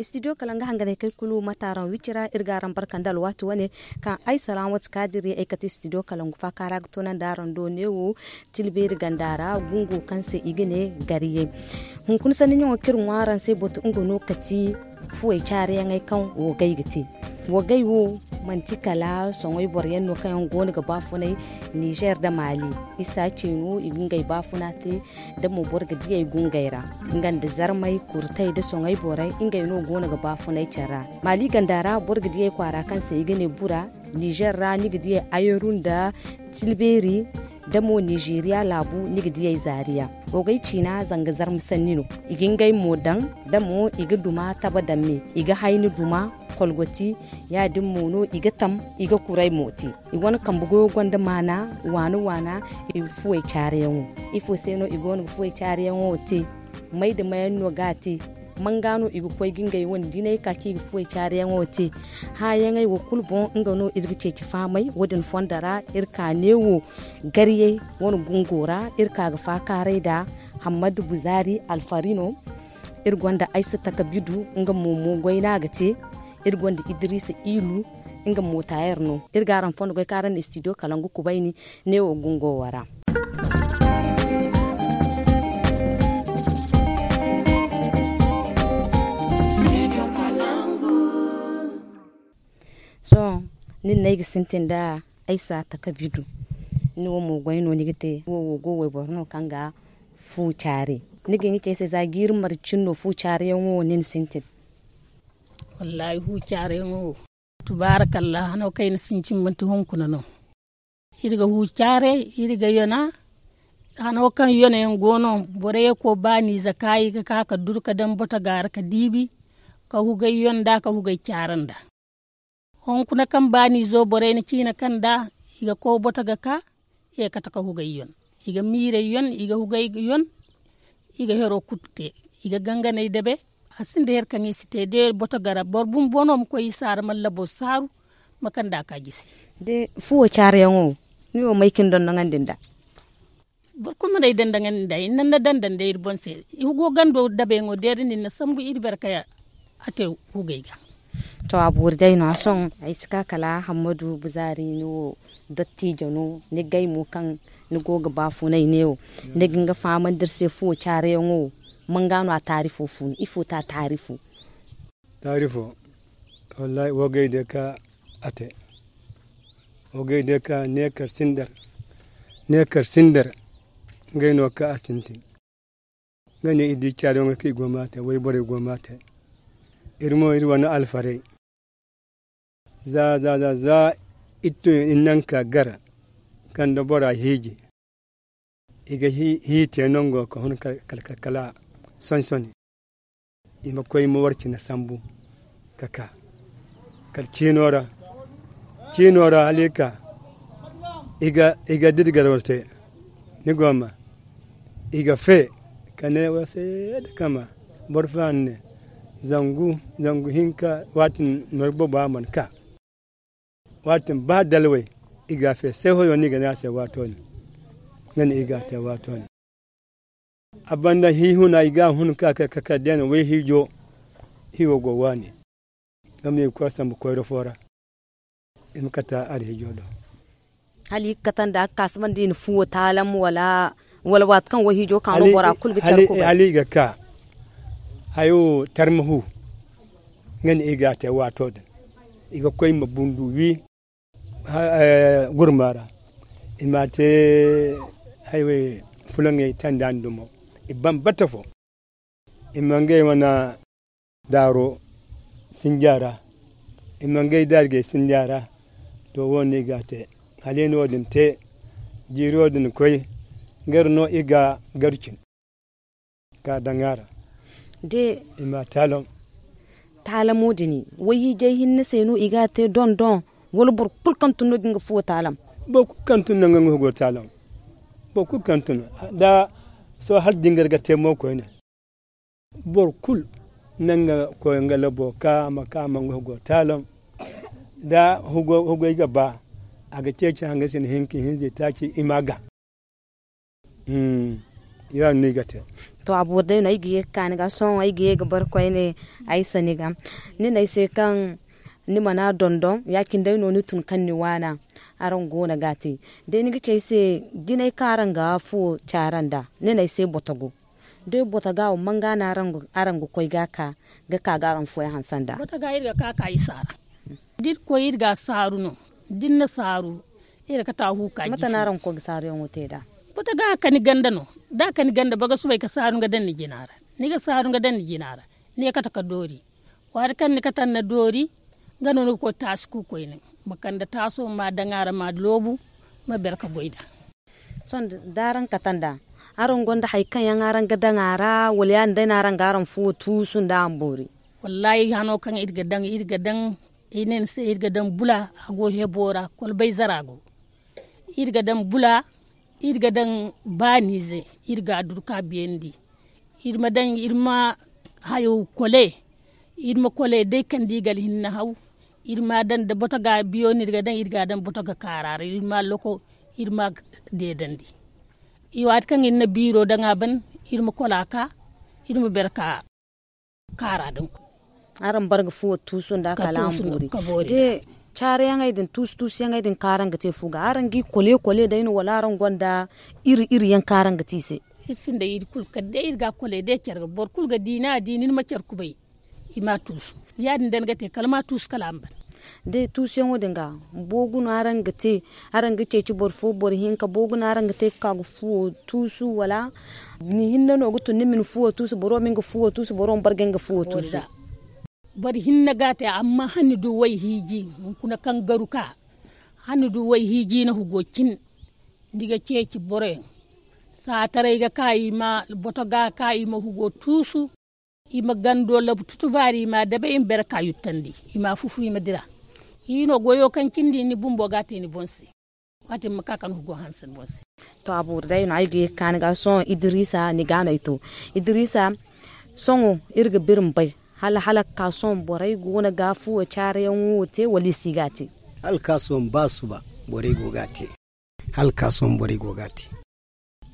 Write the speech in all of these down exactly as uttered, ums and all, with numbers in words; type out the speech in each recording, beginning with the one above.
Studio kala nga hanganay kay kulu ma taaraŋ wicira iri ga araŋ barka nda alwaati wane kaŋ ay salaamatu kaadiri ay kate studio kala ngu faaka ra ga toonandi araŋ do neewo. Tilbeeri ganda ra gungo kaŋ se i ga ne gariyey. Hunkuna sanni ɲaŋo kaŋ iri ŋwa araŋ se batu nga no kati fuwey caariyaŋey kaŋ wogay ga te. Wogay wo manti kala soŋay boro yaŋ no kaŋ yaŋ go no ga baafunay nizer nda maali. Isa ce no i ga ngey baafuna te da mo boro ga diyey gungey ra nga nda zarmey kurtey nda soŋay borey ngey no go no ga baafunay care ra. Maali ganda ra boro ga diyey kwaara kaŋ se i ga ne bura. Nizer ra ni ga diyey ayeru nda tilbeeri da mo nizeriya laabu ni ga diyey zaariya. Wogay ciina zanga zarma sanni no. I ga ngey mo daŋ da mo i ga duma taba daŋ me i ga hayni duma kolgoti. Ya- din mo no i ga tam i ga kuray mo te. I wane kambe goyo gonda maana waana waana. I ga fuwey caariyaŋo ifo se no i go no ga fuwey caariyaŋo te? May nda mayaŋ no ga a te? Manga no i ga koy ga ngey wane dinay ka kaŋ i ga fuwey caariyaŋo te? Hããyaŋey wo kulu boŋ nga no iri ga ceeci fahamay wo- din fondo ra. Iri ka neewo gariyey wane gungo ra iri ka ga faakaaray nda hammadu buzaari alfari no. Iri gonda aysata kabidu nga mo mo goyna ga te. Iri gonda idiriisa iilu nga mo taayer no. Iri ga araŋ fondo goy kaŋ araŋ na istidiyo kala nga kubayni neewo gungo wo ra. Sohõ nin no ay ga sintin nda ay si a taka bidu. Ni wo mo goy no ni ga te wo wo go wayboro no kaŋ ga fu caare. Ni ga hin ga ci ay se za jiiri marcin no fu caare yaŋo wo nin sintin? Wallaahi fu caare yaŋo wo tubaarakallahi hano kaŋ ay na sintin manti hunkuna no. Iri ga hu care iri ga yona. Hano kaŋ yona yaŋ go no borey ko baani zaka i ga ka ka duru ka daŋ boto gaara ka diibi ka hugay yonda ka hugay care nda. Hunkuna kaŋ baani zo borey na ciina kaŋ da i ga ko boto ga ka i ga kate ka hugay yon. I ga miirey yon i ga hugay yon. I ga hero kulu te i ga ganganey dabe. A sinda her kaŋ i si te de boto gara boro bumbo no ma koy i saara mallabo saaru ma kanda ka jisi. De fuwo caarayaŋo ni wo may ka ni dondoŋandi nda? Boro kulu mana ay dandaŋandi nda i na ni na dandaŋ day iri boŋ se. I go gando dabeyaŋo deeri nin na sambu iri bare kay. A te hugay ga. To a boori day no a sohõ ay si ka kala hammadu buzaari ni wo dottijo no ni gay mo kaŋ ni go ga baafunay neewo ni ga nga fahamandi iri se fuwo caarayaŋo wo? Manga no a taarifo fu no ifo te a taarifo? Taarifo wallaahi wo gay day ka a te. Wo gay day ka neekar sindar neekar sindar. Ngey no ka a sintin nga ne i di caariyaŋo kaŋ i go ma a te wayborey go ma a te. Iri mo iri wane alfarey za za za za iri tun iri naŋ ka gar kanda bora hiiji. I ga hii te nango ka hun kala kala sonsoni. I ma koy ma war cine sambu ka ka kala ciino ra. Ciino ra hala i ka i ga didi garwar te. Ni go ma i ga fe ka ne wasa yadda kama boro fulaani ne zangu zangu hinka waati nor bobo a mana ka. Waati ba dalway i ga fe sai hoyo no i ga ne a se waato din. Nga ne i ga te waato din. A banda hiihuna i ga hun ka kay ka kay deena way hiijo. Hiiwo go waani. Nga ma i ga koy sambu koyro fo ra. I ma kata alhiijo do. Hala i ga kata nda a ga ka sambu nda i na fuwo taalam wala waati kaŋ wayhiijo ka no bora kulu ga care kubay. Hala i ga ka hayo tarma hu. Nga ne i ga te waato din i ga koy ma bundu wi gurma ra. I ma te hayway fulaŋey tanda nda mo i bambata fo. I ma ngey wane daaro sinja ra. I ma ngey daarigey sinja ra. To wo- no i ga a te hala i na wo- din te jiiri wo- din koy. Gar no i ga garu cin ka daŋ a ra. De i ma taalam. Taalamo din wayhiijay hinne se no i ga a te doŋ doŋ? Wala boro kulu kaŋ tun no ga nga fuwo taalam? Boro kulu kaŋ tun no ga nga hugo taalam. Boro kulu kaŋ tun da sohõ hala dingar ga te mo koyne. Boro kulu na nga koy nga labo ka a ma ka a ma nga hugo taalam. Da hugo hugo i ga ba a ga ceeci hanga sina hinka hinza i taaci i ma ga. Ira no i ga te. To, a boori day no ay ga ye ga ka ni ga sohõ ay ga ye ga barkoyne ay se ni ga ni ne ay se kaŋ ni mana dondon ya- cine day no ni tun kaŋ ni waana. Araŋ go no ga a te day ni ga ci ay se jinay kaŋ araŋ ga fuwo caara nd'a ni ne ay se botogo. Day botoga wo man ga no araŋ ga koy ga a ka ga ka ga araŋ fuwey hanse nd'a? Botoga iri ga ka ka isa ra. Da iri koy iri ga a saaru no da ni na saaru iri ga kate a hu ka jisi. Mate no araŋ ga koy ga saaruyaŋo te nd'a? Botoga a kani ganda no da a kani ganda ba ga soobay ga saaru nga daŋ ni jina ra. Ni ga saaru nga daŋ ni jina ra ni ye kate ga doori. Waati kaŋ ni kate ni na doori nga no ni ga koy taasi kuukoyne ma kande taaso ma daŋ a ra ma loobu ma bere ga goy nd'a. Sohõ da araŋ kate nd'a araŋ gonda hari kaŋ yaŋ araŋ ga daŋ a ra wala ya- din day no araŋ ga araŋ fuwo tuusu nd'a a ma boori? Wallaahi hano kaŋ iri ga daŋ iri ga daŋ ay ne ni se iri ga daŋ bula a go hebo ra kolbay zara go. Iri ga daŋ bula iri ga daŋ baaniize iri ga a duru ka biyandi. Iri ma daŋ iri ma hayo kole iri ma kole day kaŋ da i ga alhinne haw. Iri ma a daŋ da botoga biyo no iri ga daŋ iri ga a daŋ botoga kaara ra iri ma a loko iri ma a deedandi. I waati kaŋ iri na biiro daŋ a ban iri ma kola ka iri ma bere ka kaara din. Araŋ bar ga fuwo tuusu nda kala araŋ boori. De caarayaŋey din tuusu tuusuyaŋey din kaŋ araŋ ga te fu ga araŋ ga i kole kole day no wala araŋ gonda iri iri yaŋ kaŋ araŋ ga te i se? Iri sinda iri kulu kala day iri ga a kole day care ga boro kulu ga di ni a di ni ni ma care kubay. I ma a tuusu ya- din day ni ga te kala ma a tuusu kala a ma ban. Day tuusuyaŋo din ga boogu no araŋ ga te? Araŋ ga ceeci boro fo boro hinka boogu no araŋ ga te ga ka ga fuwo tuusu wala? Ni hinne no ga tun ni ma ni fuwo tuusu boro ma nga fuwo tuusu boro ma barga nga fuwo tuusu. Boro hinne ga a te amma hala ni du way hiiji hunkuna kaŋ garu ka hala ni du way hiiji ni hugo cin. Ni ga ceeci boroyaŋ saataray ga ka i ma boto ga ka i ma hugo tuusu. I ma gando labu tutubaari i ma a dabe i ma bere ka yuttandi i ma a fufu i ma dira. I no goyo kaŋ cindi ni bumbo ga a te ni boŋ se. Waati ma ka kaŋ hugo hanse ni boŋ se. To a boori day no ay ga ye ga ka ni ga sohõ idiriisa ni ga no ay to idiriisa. Sohõ iri ga biri ma bay hala hala ga ka sohõ borey go no ga fuwo caarayaŋo wo te wala i si ga a te? Hala ga ka sohõ ba suba borey go ga a te. Hala ga ka sohõ borey go ga a te.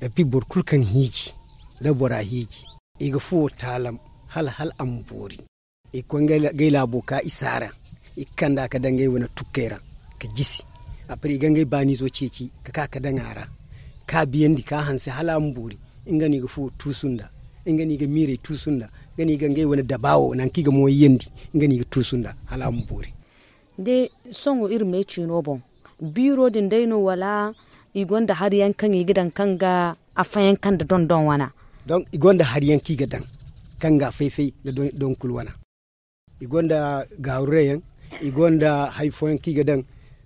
Epi boro kulu kaŋ hiiji da bora hiiji i ga fuwo taalam hala hala a ma boori. I ga koy ngey laabo ka isa ra i ga kand'a ga daŋ ngey wane tukkey ra ga jisi. Apre i ga ngey baaniizo ceeci ga ka ga daŋ a ra ka biyandi ka hanse hala a ma boori. Nga no i ga fuwo tuusu nd'a. Nga no i ga miirey tuusu nd'a. Nga no i ga ngey wane daba wo nangu kaŋ i ga mooyiyandi. Nga no i ga tuusu nd'a hala a ma boori. De sohõ iri me ciino boŋ biiro din day no wala? I gonda hari yaŋ kaŋ i ga daŋ kaŋ ga affayaŋ kaŋ nda dondon wana? Donk i gonda hari yaŋ kaŋ i ga daŋ kaŋ ga afay-fay nda donkul wana. I gonda gaaru rey yaŋ. I gonda hari fooyaŋ kaŋ i ga daŋ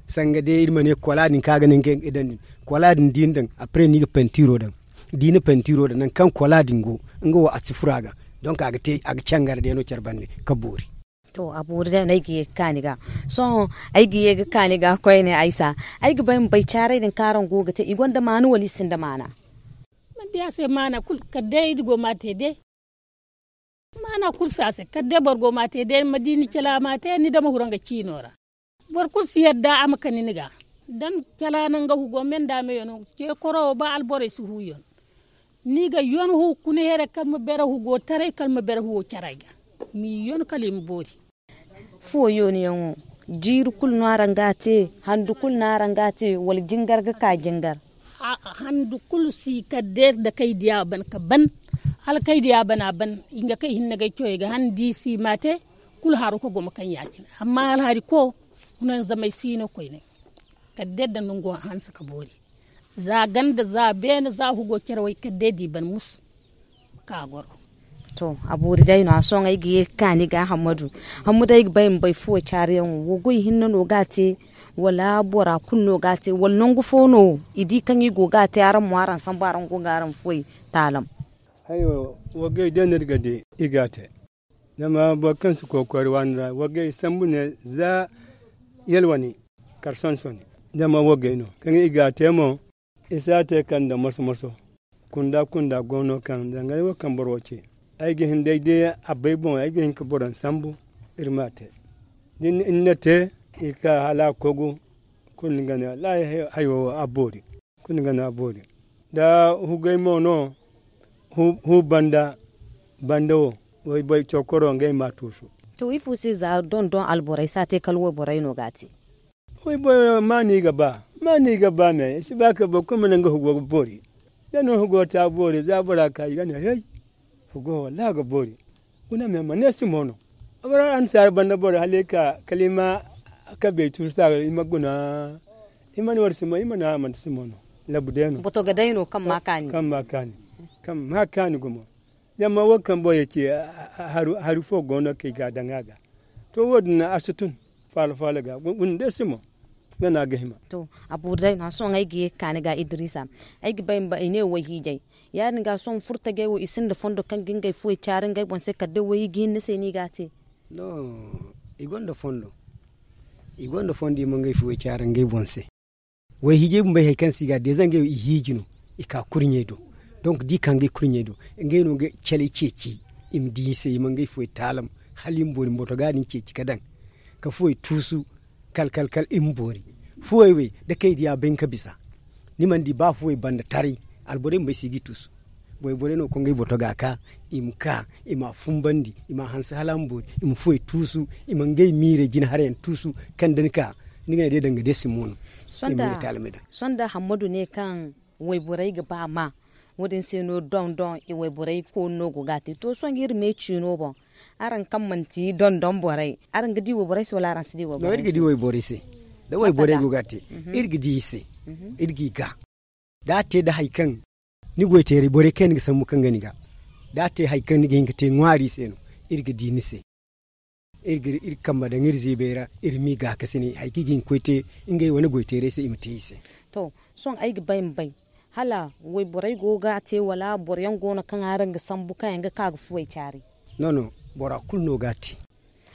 sanga day iri ma ne kola din kaŋ a ga naŋ ga daŋ din. Kola din da i na daŋ apre no i ga pentiiro daŋ. Da i na pentiiro daŋ nangu kaŋ kola din go nga wo a si furo a ga. Donk a ga cangar day no care bande ga boori. To a boori day no ay ga ye ga ka ni ga. Sohõ ay ga ye ga ka ni ga koyne aysa. Ay ga bay ma bay caaray din kaŋ araŋ go ga te i gonda maana wala i sinda maana? Manti a se maana kulu kala day iri go ma a te day. Maana kulu si a se kala day boro go ma a te day ma di ni cala ma a te ni dama huru nga ciino ra. Boro kulu si yadda a ma kani ni ga. Da ni cala naŋ ga hugo me nda me yaŋ no ce koro wo ba alborey si hu yaŋ. Ni ga yon hunkuna here kala ma bere hugo taray kala ma bere hugo caray ga. Ma i yon kala i ma boori. Fuwo yooni yaŋo jiiri kulu no araŋ ga a te? Handu kulu no araŋ ga a te wala jingar ga ka jingar? Handu kulu si kala day nda kay diya ban ga ban. Hala kay diya ban a ban i ga kay hinne ga ay coyey ga han da i si ma a te. Kulu haro ga goma kaŋ ya- cine amma hala hari ko hunanzamay si no koyne. Kala day nda nango hanse ga boori. Za ganda za beene za hugo care way kala day da i ban musu. Ka goro. To a boori day no a sohõ ay ga ye ga ka ni ga hammadu. Hammadu ay ga bay ma bay fuwo caariyaŋo wo goy hinne no ga a te? Wala bora kulu no ga a te wala nangu fo no i di kaŋ i go ga a te araŋ mo araŋ sambu araŋ go ga araŋ fuwey taalam? Hayo. Wagay day no iri ga di i ga a te. Zama boro kaŋ si koy koyra waani ra wagay sambu ne za yalwani kar sonsoni. Zama wagay no kaŋ i ga a te mo i si a te kala nda moso moso. Kunda kunda go no kaŋ zangay wo kaŋ boro wo ce. Ay ga hin day day a bay boŋ ay ga hin ga boro sambu. Iri ma a te. Da ni na te i ga ka hala a kogu. Kulu ni ga ne wallaahi hayo wo a boori. Kulu ni ga ne a boori. Da hugay mo no. Hu banda banda wo. Wayboro cokoro ngey ma a tuusu. To ifo se za don don alborey si a te kala wayborey no ga a te. Wayboro ma no i ga ba ma no i ga ba me i si ba kala boro kulu ma ne nga hugo ga boori. Da no hugo ta boori za bora ka i ga ne hey. Hugo wallahi a ga boori. Guna me ma ne si mo no. Annasaara banda boro hala i ka kala i ma kabey tuusu ta i ma guna. I mana war si mo i mana a mana si mo no. Labu day no boto ga day no kaŋ ma kaani. Kaŋ ma kaani gumo. Zama wo kaŋ boro ye ci hari fo go no kaŋ i ga a daŋ a ga. To wo- din a si tun faala faala ga guna day si mo. Nga no a ga hima. To a boori day no sohõ ay ga ye ga kaani ga idiriisa. Ay ga bay ma bay i ne wayhiijay. Ya- din ga sohõ furtajey wo i sinda fondo kaŋ ga ngey fuwey caari ngey boŋ se kala day wayhiiji hinne se no i ga a te. No i gonda fondo. I gonda fondo i ma ngey fuwey caari ngey boŋ se. Wayhiijey bumbo ay hari kaŋ se i ga a deeza ngey wo i hiiji no. I ka kurɲey do. Donk da i ka ngey kurɲey do ngey no ga calay ceeci. I ma di i se i ma ngey fuwey taalam hala i ma boori ma boto ga din ceeci ga daŋ. Ka fuwey tuusu kala kala kala i ma boori. Fuwey wey da kay diya bay ni ka bisa. Ni mana di ba fuwey banda taray. Alborey bumbo ay si ga i tuusu. Wayborey no kaŋ ngey boto ga a ka i ma ka i ma a fumbandi i ma a hanse hala a ma boori. I ma fuwey tuusu i ma ngey miirey jina harayaŋ tuusu. Kaŋ da ni ka ni ga ne day danga day si mo no. Sohõ da hammadu ne kaŋ wayborey ga ba ma wo- din se no doŋ doŋ wayborey koonu no go ga a te to sohõ iri me ciino boŋ. Araŋ kaŋ manti doŋ doŋ borey araŋ ga di wayborey se wala araŋ si di wayborey se? Da wayborey go ga a te iri ga di i se. Iri ga i ga da a te nda hari kaŋ ni goy teeray borey kaŋ yaŋ ni ga sambu kaŋ ga ni ga da a te hari kaŋ ni ga hin ga te ŋwaari se no. Iri ga di ni se. Iri ga iri kambe daŋ iri ziibay ra iri ma i gaakasinay hari kaŋ i ga hin ga koy te ngey wane goy teeray se i ma te i se. To sohõ ay ga bay ma bay hala wayborey go ga a te wala boro yaŋ go no kaŋ araŋ ga sambu kaŋ yaŋ ga ka ga fuwey caari? No no bora kulu no ga a te.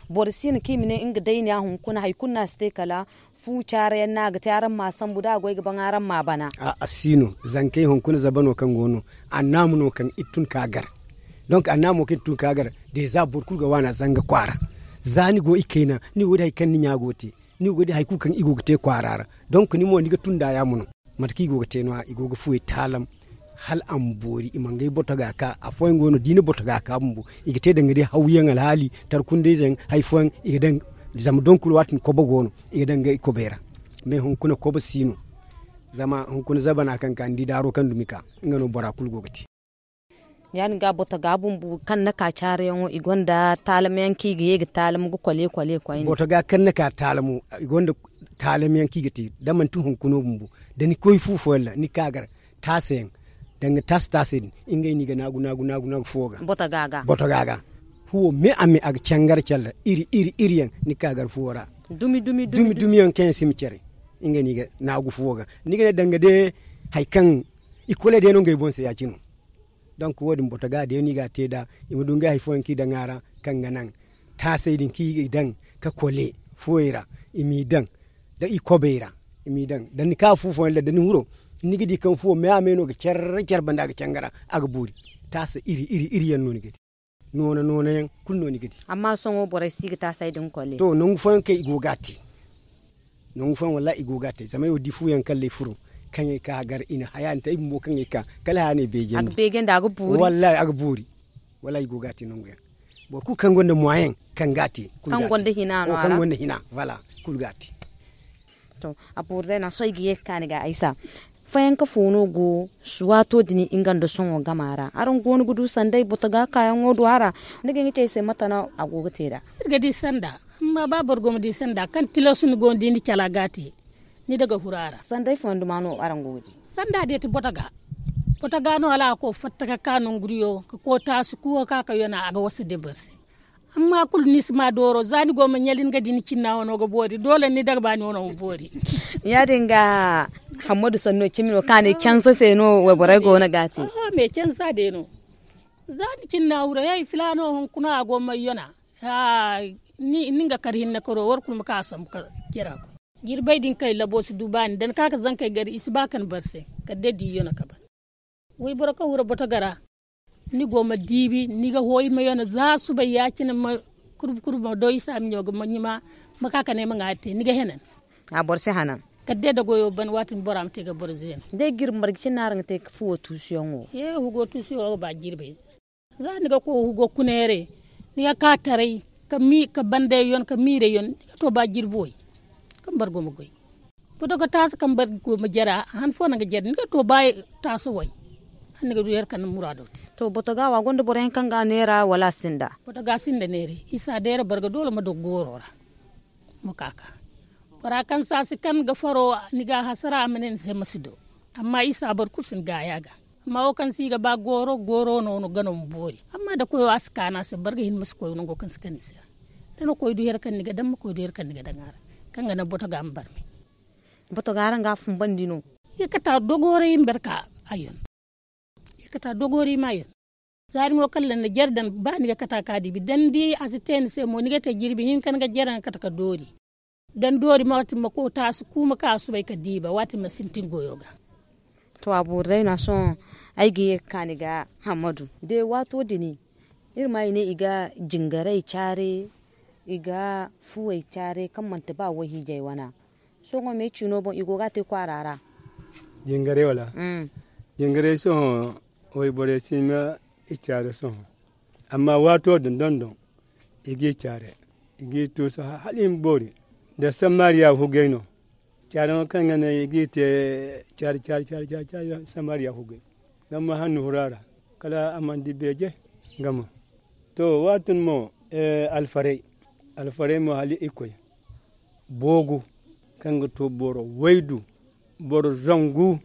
Boro si no kaŋ i ma ne nga day ne a hunkuna hari kulu no a si te kala fu caara yaŋ no a ga te araŋ ma a sambu da a goy ga baŋ araŋ ma a bana. A si no zankey hunkuna zaba no kaŋ go no. Annaama no kaŋ iri tun ka gar. Donk annaamo kaŋ iri tun ka gar deeza boro kulu ga waana zanga kwaara. Za ni go ikayna ni go ga di hari kaŋ ni ɲa go ga te. Ni go ga di hari kulu kaŋ i go ga te kwaara ra. Donk ni mo ni ga tun nd'a yaamo no. Mate kaŋ i go ga te no- ya i go ga fuwey taalam hala a ma boori i ma ngey boto ga a ka afooyaŋ go no da i na boto ga a ka bumbo. I ga te danga day hawyaŋ alhaali tarkundayze yaŋ hari fooyaŋ i ga daŋ. Zama donkul waati din kobo go no i ga daŋ ga i kobey ra. Mais hunkuna kobo si no. Zama hunkuna zabana kaŋ ka ni di daaro kaŋ dumi ka nga no bora kulu go ga te. Ya- din ga boto ga bumbu kaŋ ni ka caarayaŋo i gonda taalamyaŋ kaŋ i ga ye ga taalam ga kole kole koyne. Boto ga kaŋ ni ka taalamo i gonda taalamyaŋ kaŋ i ga te da manti hunkuna bumbu. Da ni koy fu fooyaŋ ra ni ka gar taasa yaŋ danga taasa taasay din. Ngey no i ga naagu naagu naagu naagu fuwo ga boto ga ga. Fuwo me a me a ga cangar care ra iri iri iri yaŋ ni ka gar fuwo ra. Dumi dumi yaŋ kaŋ yaŋ si ma care. Ngey no i ga naagu fuwo ga ni ga ne danga day hari kaŋ i kole day no ngey boŋ se ya- cine. Donk wo- din boto ga day no i ga a te nd'a i ma du ngey hari fooyaŋ kaŋ i daŋ a ra kaŋ ga naŋ taasay din kaŋ i daŋ ka kole fuwey ra. I m'i daŋ da i kobey ra. I m'i daŋ da ni ka fu fooyaŋ ra da ni huro ni ga di kaŋ fuwo me a me no ga care care banda a ga cangar a ga boori. Taasa iri iri iri yaŋ no ni ga di. Noona noona yaŋ kulu no ni ga di. Amma sohõ borey si ga taasay din kole. To nangu fooyaŋ kaŋ i go ga a te. Nangu fooyaŋ wallahi i go ga a te zama ay wo di fuyaŋ kala ay furo kaŋ ay ka gar i na haya din te ay bumbo kaŋ ay ka kala haya no ay beejandi. A ga beejandi a ga boori. Wallahi a ga boori. Wallahi i go ga a te nangu yaŋ. Boro kulu kaŋ gonda moyen kaŋ ga a te kulu ga a te. Kaŋ gonda hina no a ra. Kaŋ gonda hina voilà. Kulu ga a te. To a boori day no sohõ ay ga ye ga kaani ga aysa. Fayanka fo no go suwaato din nga nda sohõ gama ra araŋ go no ga du sanday boto ga kaayaŋo du a ra? Ni ga hin ga ci ay se mate no a go ga te nd'a? Iri ga di sanda. Amma ba boro go ma di sanda kaŋ tilas ni go no da ni cala ga a te. Ni daga huru a ra. Sanday fooyaŋ duma no araŋ go ga di? Sanda day ti boto ga. Boto ga no hala a ga koy fatta ga ka nangu diyo ga koy taasu kuwo ka ka yana a ga wasa day boro se. Amma kulu ni si ma dooro za ni go ma ɲali ni ga di ni cinna wano ga boori doole ni daga baani wano ma boori. Ya- din ga hammadu sanno cimi no kaŋ a ne cansa se no wayborey go no ga a te? Oho me cansa day no. Za ni cinna wuro hey filaano hunkuna a go ma ay yana. Ni nga kar hinne karo war kulu ma ka a sambu ka jara koy. Jirbey din kaŋ ay labo si du baani da ni ka ka zankey gari i si ba ka ni bar se. Kala day da i yana ka ban. Wayboro kaŋ wura boto gara ni go ma diibi ni ga hooyi ma yana za subay ya- cine ma kurbu kurbu ma doy i se a ma ɲo ga ma ɲuma. Ma ka ka ne ay ma ŋwaari te ni ga henan. A boro si hanan. Kala day da goyo ban, waati din bora ma te ga boro zeena. Day jirbi marje cine no araŋ ga te ga fuwo tuusuyaŋo? Hugo tuusuyaŋo ga ba jirbey. Za ni ga koy hugo kuneere, ni ga ka taray, ka bandey yon, ka miirey yon, ni ga to ba jirbi way. Kaŋ bargo ma goy, boto ga taasi kaŋ bargo ma jara han fo naŋ ga jara ni ga to ba taasi way. Hala ni ga du here kaŋ ni muraado te. To boto ga wa gonda boro yaŋ kaŋ ga neera wala a sinda? Boto ga sinda neera. Isa deera barga doole ma dogo gooro ra. Ma ka ka bora kaŋ saasi kaŋ ga faro, ni ga a hasara a ma ne ni se ma si do. Amma isa boro kulu si ni gaaya ga. Amma wo kaŋ si ga ba gooro gooro no ga no ma boori. Amma da koyo a si kaanu a se barga hinne ma si koy nango kaŋ si kani se ra. Da ni koy du here kaŋ ni ga daŋ ma koy du here kaŋ ni ga daŋ a ra, kaŋ ga naŋ boto ga ma barmay. Boto ga araŋ ga a fumbandi no? I ga kata dogoorey ma barka a yon. I ga kata dogoorey ma yon. Za ni mo kala nda jare daŋ ba ni ga kata ka diibi da ni di a si te ni se mo ni ga te jirbi hinka ni ga jare nga kata ka doori. Da ni doori ma waati ma koy taasi kuuma ka a subay ka diiba waati ma sintin goyo ga. To a boori day no a sohõ. Ay ga ye ga ka ni ga hammadu de waato din. Iri ma i ne i ga jingaray care, i ga fuwey care kaŋ manti ba wayhiijay wana. Sohõ me ciino boŋ i go ga a te kwaara ra. Jingaray wala? Jingaray sohõ wayborey si ma i care sohõ. Amma waato din dondon i g'i care, i g'i tuusu hala i ma boori. Da samariya hugay no. Care no kaŋ ga naŋ i g'i te care care care care samariya hugay. Zama hannu hura ra kala a mana di beeje. Nga mo to waatin mo alfaray alfaray mo hala i koy. Boogu kaŋ ga to boro waydu, boro zangu.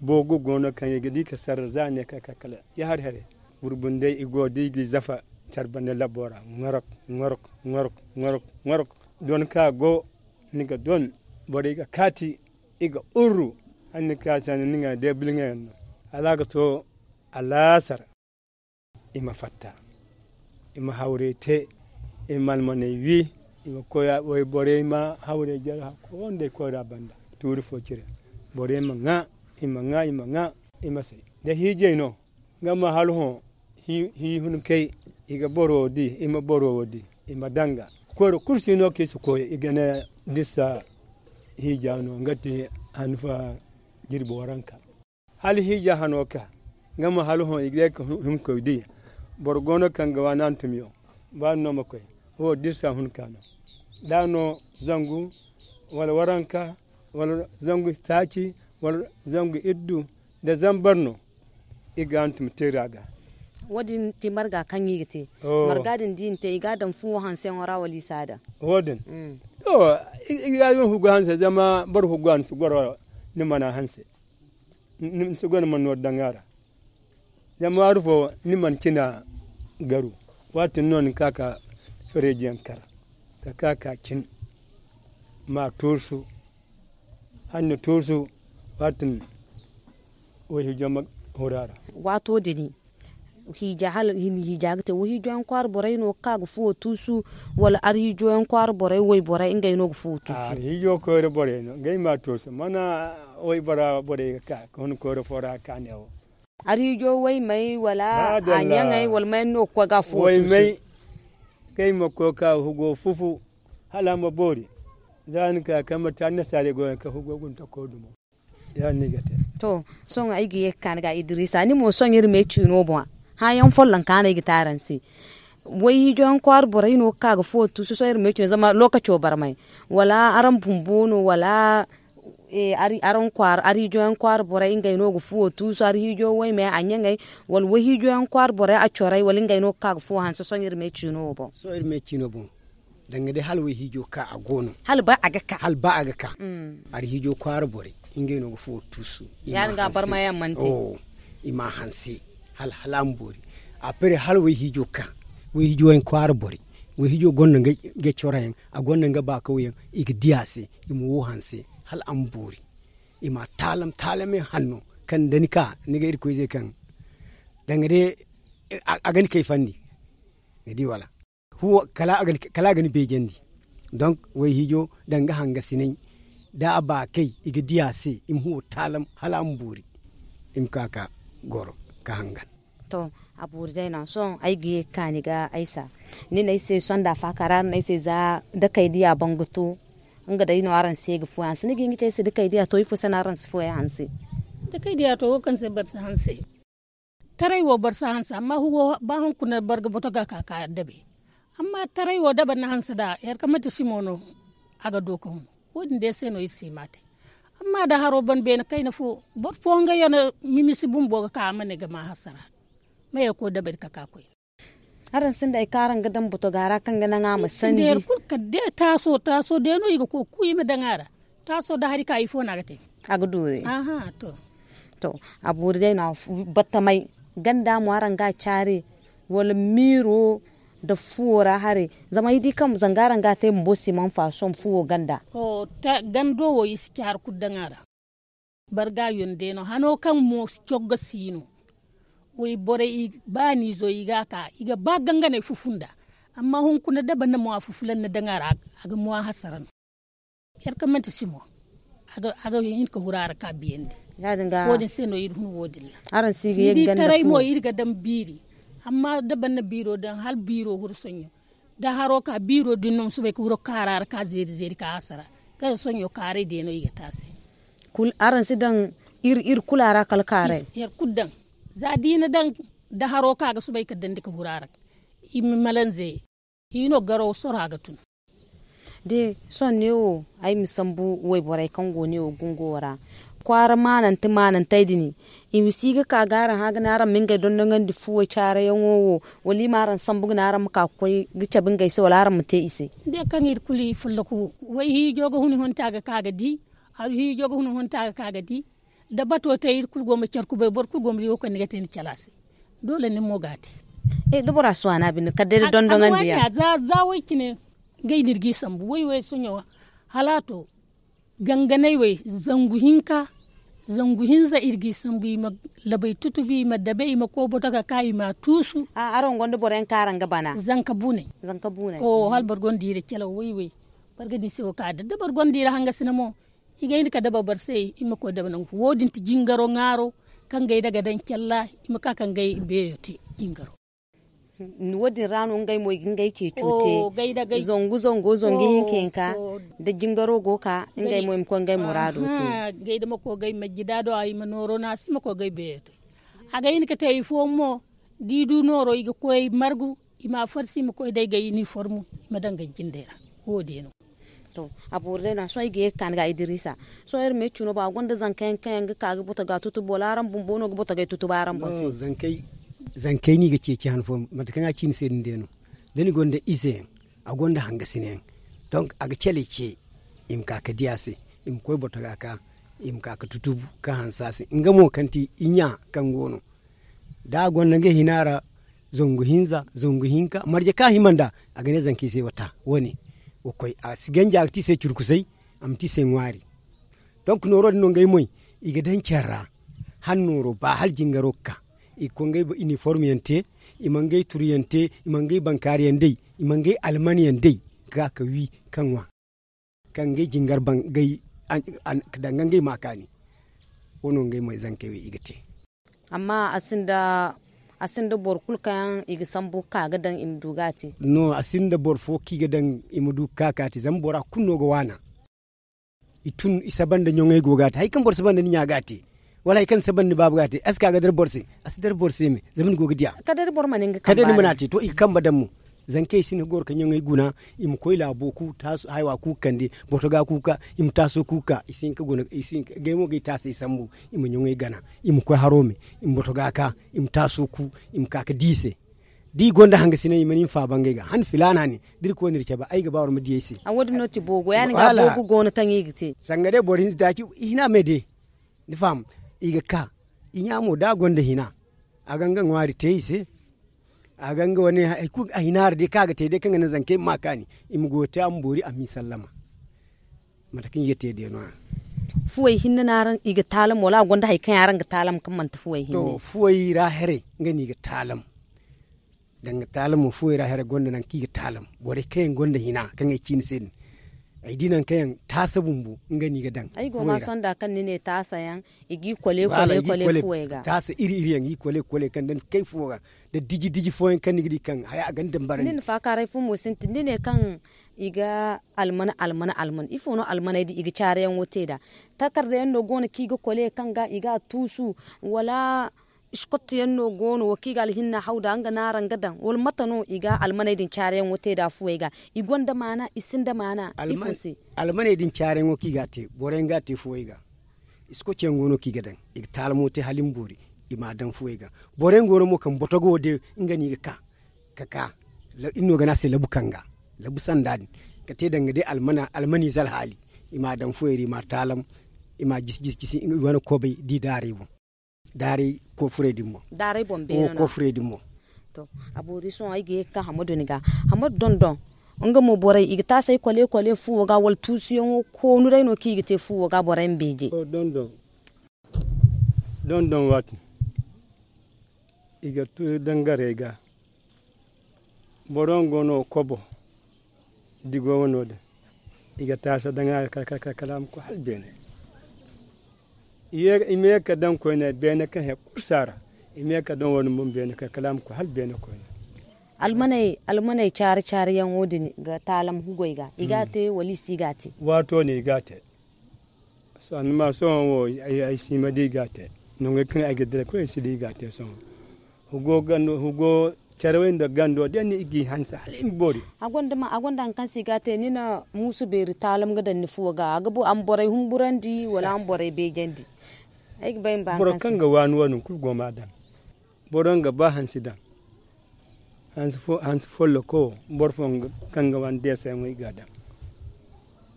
Boogu go no kaŋ i ga di ka sarra za ne ka ka kala ya hari haray. Gurbundey i go da i g'i zafa care banda labo ra ŋorok ŋorok ŋorok ŋorok ŋorok. Don ka go ni ga don borey ga kaati i ga urru. Hala ni ka sanda ni ga day bilŋayaŋ no hala a ga to alaasar. I ma fatta i ma hawrey te. I ma almaney wi i ma koy wayborey ma hawrey jare hakko wo nd'ey koyra banda. Tuuri fo cire borey ma ŋwa i ma ŋwa i ma ŋwa. I ma say da hiijay no. Nga ma hala hõ hiihunkey i ga boro wo di i ma boro wo di. I ma danga koyra kulu si no kaŋ i si koy i ga ne dirsa hiija no nga te hanfa jirbi waranka. Hala hiija hano ka nga ma hala hõ i ga ye ka himkoy di. Boro go no kaŋ ga waani hantumyaŋ ba ni no ma koy. Wo dirsa hunka no da no zangu wala waranka wala zangu taaci wala zangu iddu. Da zambar no i ga hantum teera ga. Wo- din ti marga kaŋ i ga te marga din da i na te i ga a daŋ fuwo hanseyaŋo ra wala i si a daŋ? Wo- din to i ga a daŋ hugu hanse zama boro hugu a ni si goro ni mana hanse. Ni si goro ni mana nooru daŋ a ra. Zama waaru fo ni mana cina garu. Waati din no ni ka ka fereeji yaŋ kar ka ka ka cin ma tuusu. Hanni tuusu waati din wayhiijo ma huru a ra. Waato din hiija hala hiija ga te wayhiijo yaŋ kwaara borey no ga ka ga fuwo tuusu? Wala arhiijo yaŋ kwaara borey wayborey ngey no ga fuwo tuusu? Arhiijo koyra borey no ngey ma tuusu mana waybora borey ga ka ga hun koyra fo ra ga ka ne wo. Arhiijo waymey wala a ɲaŋey wala may no ga koy ga a fuwo tuusu? Ngey ma koy ga ka hugo fufu hala a ma boori. Za ni ka kaŋ manti annasaarey go yaŋ kaŋ hugo guna tako dumo. Ya- din no i ga te. To sohõ ay ga ye ga ka ni ga idrisa ni mo sohõ iri me ciino boŋ. Hããyaŋ folloŋ ka no ay ga te araŋ se. Wayhiijo yaŋ kwaara borey no ga ka ga fuwo tuusu sohõ iri me ciino zama lookaco barmay wala araŋ bumbo no wala? Araŋ kwaara arhiijo yaŋ kwaara borey ngey no ga fuwo tuusu arhiijo waymey a ɲaŋey wala wayhiijo yaŋ kwaara borey a corey wala ngey no ga ka ga fuwo hanse sohõ iri me ciino wo boŋ? Sohõ iri me ciino boŋ. Danga day hala wayhiijo ka a go no. Hala ba a ga ka hala ba a ga ka. Arhiijo kwaara borey ngey no ga fuwo tuusu. Ya- din ga barmayaŋ mana te. I ma a hanse hala hala a ma boori. A pere hala wayhiijo ka wayhiijo yaŋ kwaara borey wayhiijo gonda nga coroyaŋ a gonda nga baakawyaŋ i ga di a se. I ma wo hanse hala a ma boori. I ma taalam taalamey hanno kaŋ da ni ka ni ga irkoy ze kaŋ danga day a ga ni kayfandi. Ni di wala? Kala a ga ni beejandi. Donk wayhiijo danga hangasinay da a ba kay i ga di a se i ma huwo taalam hala a ma boori. I ma ka ka goro ka hangan. To a boori day no sohõ ay ga ye ga ka ni ga aysa. Ni ne ay se sonda faaka ra no ay se za dakey diya boŋ ga to. Nga day no araŋ se ga fuwey hanse ni ga hin ga ci ay se da kay diya to ifo se no araŋ si fuwey hanse? Da kay diya to wo kaŋ se boro si hanse. Taray wo boro si hanse amma ba hunkuna boro ga boto ga ka ka dabe. Amma taray wo da boro na hanse da yar ka manti simo no. A ga do ka hun. Wo- din day se no iri si ma te. Amma da haro ban beene kayna fo boro fo nga yana mimisi bumbo ga ka a ma ne ga ma hasara. Maye ko dabari ka ka koyne. Araŋ sinda hari kaŋ araŋ ga daŋ botoga ra kaŋ ga naŋ a ma sandi? Kulu kala day taaso taaso day no i ga koy ga ku i ma daŋ a ra. Taaso da hari ka ifo no a ga te? A ga doori. To. A boori day no a battamay. Ganda mo araŋ ga a caari? Wala miiro nda fuwo ra haray? Zama ay di kaŋ zanga araŋ ga a te bumbo si man faso fuwo ganda. Gando wo i si caari kulu daŋ a ra. Barga yonde no hano kaŋ mo cogga si no. Wayborey ba ni zo i ga a ka i ga ba ganganey fufu nda. Amma hunkuna da banda mo a fufulan na daŋ a ra a ga mo a hasara no. Yar kaŋ manti simo a ga hin ka huru a ra ka biyandi. Wo- din se no iri hun wo- din ra. Ni di taray mo iri ga daŋ biiri. Amma da banda biiro daŋ hala biiro huru soɲo. Da haro ka biiro din no ma soobay ka wuro kaara ra ka zeeri zeeri ka hasara. Kala soɲo kaaray day no i ga te a se. Araŋ si daŋ iri kulu a ra kala kaaray? Yar kulu daŋ. Za da i na daŋ da haro ka ga soobay ka dandi ka huru a ra. I ma malanze. I no garo soro a ga tun. De sohõ neewo ay ma sambu wayborey kaŋ go neewo gungo ra. Kwaara maanante maanantey din i ma si ga ka ga araŋ hã ga ne araŋ ma ngey dondonandi fuwey caarayaŋo wo? Wala i ma araŋ sambu ga ne araŋ ma ka ga koy ga cabe ngey se wala araŋ ma te i se? De kaŋ iri kulu i folloku. Way hiijo ga hun hunta ga ka ga di. Aru hiijo ga hun hunta ga ka ga di. Da bato te iri kulu go ma care kubay boro kulu go ma di wo kaŋ ni ga te ni care a se. Doole ni mo ga a te. Da bora si waana binde kala day da dondoŋandiya. Za way cine. Ngey no iri ga i sambu way way sohõ. Hala a to ganganay way zangu hinka. Zangu hinza iri ga i sambu i ma labay tutubi i ma dabe i ma koy boto ga ka i ma a tuusu. Araŋ gonda boro yaŋ kaŋ araŋ ga bana? Zanka buunay. Hala boro gonda i ra calaw way way. Boro ga di se wo ka da da boro gonda i ra hangasina mo. I ga hin ka daba boro se i ma koy daba nangu fo wo- din ti jingaro ŋaaro. Kaŋ gay da ga daŋ calla i ma ka ka ngey beeyo te. Jingaro. Wo- din ra no ngey mo i ga ngey ceeco te. Zangu zango zangu hinka hinka. Da jingaro go ka ngey mo i ma koy ngey muraado te. Gay da ma koy gay majjida do i ma nooro no a se i ma koy gay beeyo te. A ga hin ka te i fooyaŋ mo da i du nooro i ga koy margu. I ma a farsi i ma koy day gay iniformu i ma daŋ gay jindey ra. Wo- din no. To a boori day no a sohõ ay ga ye ga ka ni ga idiriisa. Sohõ iri ma ay cino ba a gonda zanka yaŋ kaŋ yaŋ ga ka ga boto ga tutubu wala araŋ bumbo no ga boto ga ay tutubu araŋ boŋ se? Zankey no i ga ceeci han fooyaŋ mate kaŋ a ci ni se din day no. Da ni gonda ize yaŋ a gonda hangasina yaŋ. Donk a ga calay ce. I ma ka ga di a se. I ma koy boto ga ka i ma ka ga tutubu ka hanse a se nga mo kaŋ ti i ɲa kaŋ go no. Da a gonda ngey hina ra zangu hinza zangu hinka marje kaŋ a hima nd'a. A ga ne zankey se wa ta wo- ne. Wa koy a si ganji a ga te i se curkusay. A ma te i se ŋwaari. Donk nooro din no ngey moy i ga daŋ care ra. Hala nooro ba hala jingaro ga ka i ga koy ngey iniform yaŋ te. I ma ngey turu yaŋ te. I ma ngey bankaari yaŋ day. I ma ngey alman yaŋ day ga ka wi ka ŋwa. Kaŋ ngey jingar ban ngey daŋ ga ngey ma kaani. Wo no ngey moy zankey wo i ga te. Amma a sinda boro kulu kaŋ yaŋ i ga sambu ga ka ga daŋ i ma du ga a te? No a sinda boro fo kaŋ i ga daŋ i ma du ga ka ga a te zama bora kulu no ga waana. I tun i saba nda ɲoŋey go ga a te hari kaŋ boro saba nda ni ɲa ga a te. Wala hari kaŋ ni saba nda ni baaba ga a te a si ka ga dara boro se? A si dara boro se me. Zama ni go ga diya. Kala day ni mana a te to i ga kambe daŋ mo. Zankey si ni ga goro ka ɲoŋey guna. I ma koy laabo ku haya wa ku ga kande boto ga ku ga ka. I ma taaso ku ga ka i si hin ka guna i si hin ka gay mo ga i taasay sambu. I ma ɲoŋey gana i ma koy haro me. I ma boto ga ka i ma taaso ku i ma ka ga di i se. Da i gonda hangasina i mana i ma faaba ngey ga han filaana ne. Da iri koy no iri cabe ay ga ba war ma di ay se. A wo- din no ti boogo ya- din ga boogo go no kaŋ i ga te. Sanga day boro hinza taaci i hina me day. Ni faham? I ga ka i ɲa mo da a gonda hina. A ga nga ŋwaari te i se. A ga nga wane hari kulu a hina ra day kaŋ a ga te day kaŋ ga naŋ zankey ma ma kaani. I ma goyo te a ma boori a m'i sallama. Mate kaŋ i ga te day no- ya. Fuwey hinne no araŋ i ga taalam wala a gonda hari kaŋ yaŋ araŋ ga taalam kaŋ manti fuwey hinne? Fuwey ra haray nga no i ga taalam. Danga taalam mo fuwey ra haray gonda nangu kaŋ i ga taalam borey kaŋ yaŋ gonda hina kaŋ ay ci ni se din. Ay di nangu kaŋ yaŋ taasa bumbo nga no i ga daŋ. Ay go ma sonda kaŋ ni ne taasa yaŋ, i g'i kole kole kole fuwey ga. Taasa iri iri yaŋ i g'i kole kole kaŋ daŋ kay fuwo ga, nda diji diji fooyaŋ kaŋ ni ga di kaŋ haya a ga ni daŋ barandi. Ni na faakaaray fo mo sintin ni ne kaŋ i ga alman alman alman ifo no almaney din i ga caarayaŋo te nd'a? Takarda yaŋ no go no kaŋ i ga kole kaŋ ga i ga a tuusu, wala iskotto yaŋ no go no wo kaŋ i ga alhinna haw nd'a nga no araŋ ga daŋ wala mate no i ga almaney din caarayaŋo te nd'a fuwey ga? I gonda maana i sinda maana? Ifo se? Almaney din caarayaŋo kaŋ i ga a te boro yaŋ ga a te fuwey ga. Iskoci yaŋ go no kaŋ i ga daŋ, i ga taalamo te hala i ma boori, i m'a daŋ fuwey ga. Boro yaŋ go no mo kaŋ botogo wo day nga no i ga ka ka ka iri no ga ne a se labu kanga, labu sanda din, ka te danga day almaniize alhaali. I m'a daŋ fuwey ra i m'a taalam, i m'a jisi jisi jisi i wane kobay da i daaray boŋ. Daaray koofurey din mo. Daaray boŋ beene no. Koofurey din mo. To, a boori sohõ ay ga ye ga ka hammadu ni ga. Hammadu dondon, nga mo borey i ga taasay kole kole fuwo ga wala tuusuyaŋo koonu day no kaŋ i ga te fuwo ga borey ma beeje. Dondon waati i ga tuuri dangarey ga. Boro nga go no kobo digo wano din, i ga taasa daŋ a ga kala a ma koy hala beene. I ma ye ga daŋ koyne beene kaŋ he kulu si a ra. I ma ye ga daŋ wo- din boŋ beene kaŋ kala a ma koy hala beene koyne. Almaney caari caariyaŋo din ga taalam hugoy ga i ga a te wala i si ga a te? Waato no i ga a te. Sannu ma sohõ wo ay si ma di i ga a te. Nangey kaŋ ay ga dira kulu ay si di i ga a te sohõ. Hugo carawey nda gando day no i g'i hanse hala i ma boori. A gonda hari kaŋ se i ga a te ni na muusu beeri taalam ga daŋ ni fuwo ga a ma borey humburandi wala a ma borey beejandi? Ay ga bay ma ba hari kaŋ se boro kaŋ ga waani wo- din kulu go ma a daŋ. Boro nga ba hansi daŋ. Hansi folloko wo boro fo kaŋ ga waani deesayaŋo i ga a daŋ.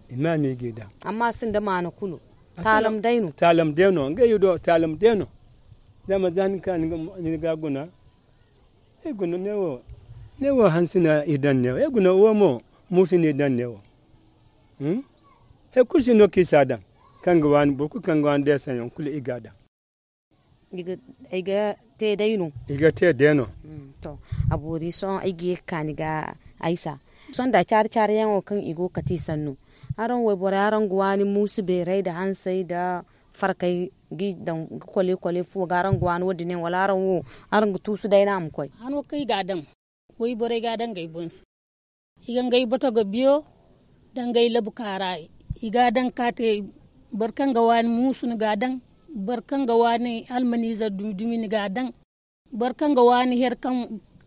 I ma a no i g'i daŋ. Amma a sinda maana kulu. Taalam day no. Taalam day no ngey do taalam day no. Zama za ni ka ni ga guna. Ay guna neewo hansi no i daŋ neewo ay guna wo mo muusu no i daŋ neewo. Hari kulu si no kaŋ i si a daŋ. Kaŋ ga waani boro kulu kaŋ ga waani deesayaŋ kulu i ga a daŋ. Ay ga te day no. I ga te day no. To, a boori sohõ ay ga ye ga ka ni ga aysa. Sohõ nda caari caariyaŋo kaŋ i go ga kate i sannu. Araŋ wayborey araŋ ga waani muusu beeray nda hansay nda farkay ga i daŋ ga kole kole fuwo ga araŋ ga waani wo- din yaŋ wala araŋ wo araŋ ga tuusu day no a ma koy? Hano kaŋ i ga a daŋ wayborey ga a daŋ ngey boŋ se. I ga ngey boto ga biyo nda ngey labu kaara i ga a daŋ ka te. Boro kaŋ ga waani muusu ni ga a daŋ. Boro kaŋ ga waani almaniize dumi dumi ni ga a daŋ. Boro kaŋ ga waani here kaŋ